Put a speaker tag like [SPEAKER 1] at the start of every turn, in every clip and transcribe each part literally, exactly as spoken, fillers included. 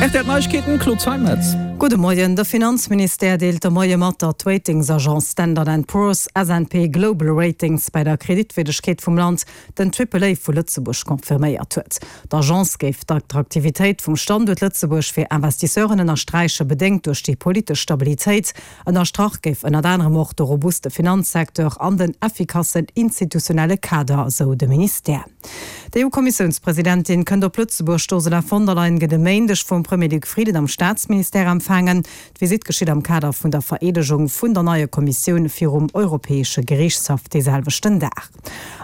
[SPEAKER 1] Rtl Neiegkeeten, Claude Zeimetz.
[SPEAKER 2] Gudde Moien, De Finanzministère deelt de Moie mat, datt d'Ratingsagence Standard and Poor's, S and P Global Ratings, bei der Kreditwierdegkeet vum Land den Triple A vu Lëtzebuerg confirméiert huet. D'Agence géif d'Attraktivitéit vum Standuert Lëtzebuerg fir Investisseuren ënnersträichen, bedéngt duerch déi politesch Stabilitéit. Ënnerstrach géif ënnert anerem och de robuste Finanzsecteur an den effikassen institutionelle Kader, esou de Ministère. D'EU-Kommissiounspresidentin kënnt op Lëtzebuerg, D'Ursula von der Leyen gëtt e Méindeg vum Premier Luc Frieden am Staatsministère empfaangen. D'Visitt geschitt am Kader vun der Vereedegung vun der neier Kommissioun virum Europäesche Geriichtshaff dee selwechten Dag.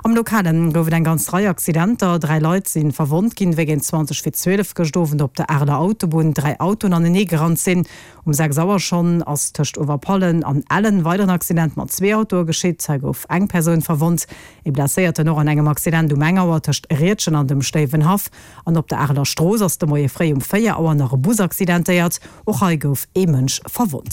[SPEAKER 2] Am Lokale gouf et eng ganz Rei Accidenter. Dräi Leit si verwonnt ginn, wéi géint zwanzeg vir zwielef gëscht Owend op der Areler Autobunn dräi Autoen anenee gerannt sinn. Um sechs Auer schonn ass tëscht Uewerpallen an Ellen weideren Accident mat zwee Autoe geschitt. Hei gouf eng Persoun verwonnt. Ee Blesséierten och an engem Accident um eng Auer tëscht Riedgen an dem Stéiwenhaff. An op der Areler Strooss ass de Moie fréi um véier Auer nach e Bus accidentéiert. Och hei gouf ee Mënsch verwonnt.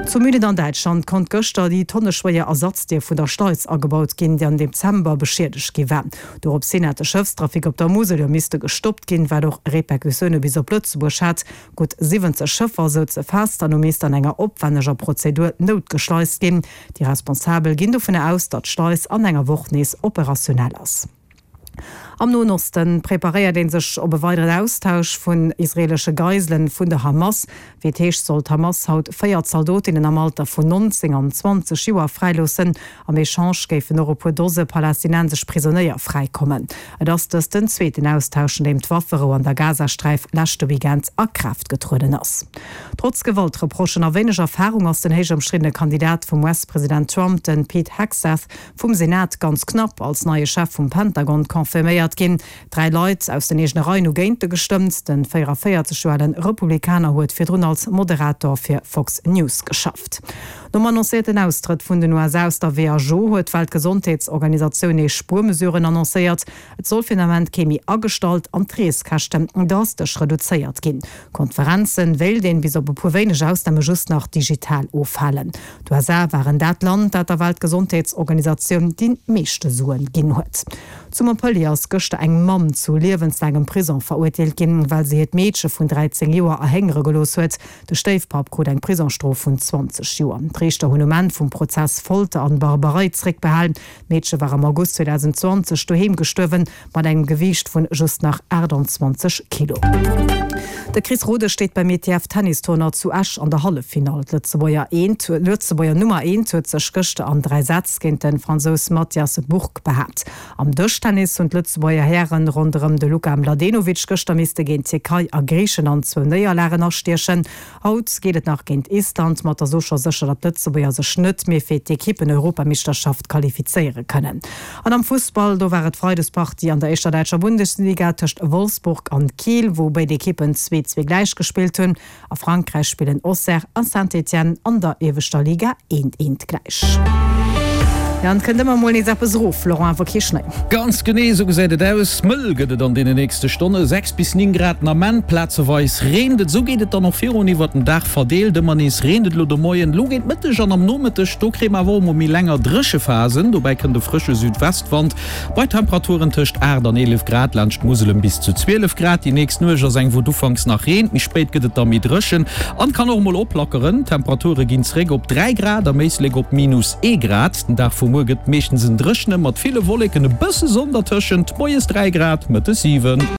[SPEAKER 2] Zu Mühlen an Däitschland konnt gëschter déi tonneschwéier Ersatzdier vun der Schleis agebaut ginn, déi am Dezember beschiedegt gi war. Dorops hin hat de Schëffstrafic op der Musel jo misste gestoppt ginn, wat och Repercussioune bis op Lëtzebuerg hat. Gutt siwwenzeg Schëffer souze fest an hu misst an enger opwänneger Prozedur noutgeschleist ginn. Déi Responsabel ginn dovun aus, datt d'Schleis an enger Woch nees operationell ass. Am Noen Oste preparéiert ee sech op e weideren Austausch vun israeelesche Geiselen vun der Hamas. Wéi et heescht, soll d'Hamas haut véier Zaldotinnen am Alter vun nonzéng an zwanzeg Joer fräiloossen. Am Echange géifen och e puer Dose palästinensesch Prisonéier fräikommen. Et ass dëst den zweeten Austausch, nodeem d'Wafferou an der Gazasträif leschte Weekend a Kraaft getrueden ass. Trotz Gewaltreprochen a wéineg Erfarung ass den héich ëmstriddene Kandidat vum US-President Trump, de Pete Hegseth, vum Senat ganz knapp als neie Chef vum Pentagon confirméiert ginn. Dräi Leit aus den eegene Reien hu géint e gestëmmt. De véierundavéierzeg Joer ale Republikaner huet virdrun als Moderator fir Fox News geschafft. Nom annoncéierten Austrëtt vun den U S A aus der W H O huet d'Weltgesondheetsorganisatioun nees Spuermesuren annoncéiert. Et soll fir den Ament kee méi agestallt an d'Reeskäschten drastesch reduzéiert ginn. Konferenzen wéilt een bis op e puer wéineg Ausname just nach digital ofhalen. D'U S A waren dat Land, dat der Weltgesondheetsorganisatioun déi meeschte Suen ginn huet. Zu Montpellier ass gëschter eng Mamm zu liewenslaangem Prisong verurteelt ginn, well se hiert Meedche vun dräizéng Joer erhéngere gelooss huet. De Stéifpapp krut eng Prisongsstrof vun zwanzeg Joer. D'Riichter hunn um Enn vum Prozess Folter an Barbarei zréckbehalen. D'Meedche war am August zweedausendzwanzeg doheem gestuerwen, mat engem Gewiicht vun just nach aachtanzwanzeg Kilo. De Chris Rodesch steet beim I T F Tennis-Tournoi zu Esch an der Halleffinall. D'Lëtzebuerger eent, Lëtzebuerger Nummer eent huet sech gëschter an dräi Sätz géint de Fransous Mathias Bourgue behaapt. Am Dëschtennis hunn d'Lëtzebuerger Hären ronderëm de Luka Mladenovic gëschter misste géint d'Tierkei a Griichenland zwou Néierlagen astiechen. Haut geet et nach géint Island, ma et ass och scho sécher, datt d'Lëtzebuerger sech net méi fir d'Ekippen-Europameeschterschaft qualifizéiere kënnen. An am Fussball, do war et Freidespartie an der éischter däitscher Bundesliga tëscht Wolfsburg an Kiel, wou béid Ekippen zwee zwee gläich gespillt hunn. A Frankräich spillen Auxerre a Saint-Étienne an der ieweschter Liga eent eent gläich. Jo, an et kënnt ëmmer mol nees eppes erof, Laurent, awer kee Schnéi.
[SPEAKER 1] Ganz genee esou gesäit et aus. Mëll gëtt et an deene nächste Stonne, sechs bis néng Grad den Ament, plazeweis reent et. Esou geet et dann och virun iwwert den Dag verdeelt. Ëmmer nees reent et elo de Moien, elo géint Mëtteg an am Nomëtteg, do kréie mer awer och mol méi länger dréche Phasen. Dobäi kënnt e frësche Südwestwand bei Temperaturen tëscht aacht an eelef Grad, laanscht d'Musel ëm bis zu zwielef Grad. Déi nächst Nuecht ass eng, wou et ufanks nach reent, méi spéit gëtt et da méi dréchen an kann och emol oplackeren. D'Temperature ginn zeréck op dräi Grad, am Éislek op minus ee Grad. Den Dag vu muer gëtt meeschtens en dréchene mat ville Wolleken, e bësse Sonn dertëschent, moies dräi Grad, mëttes siwen.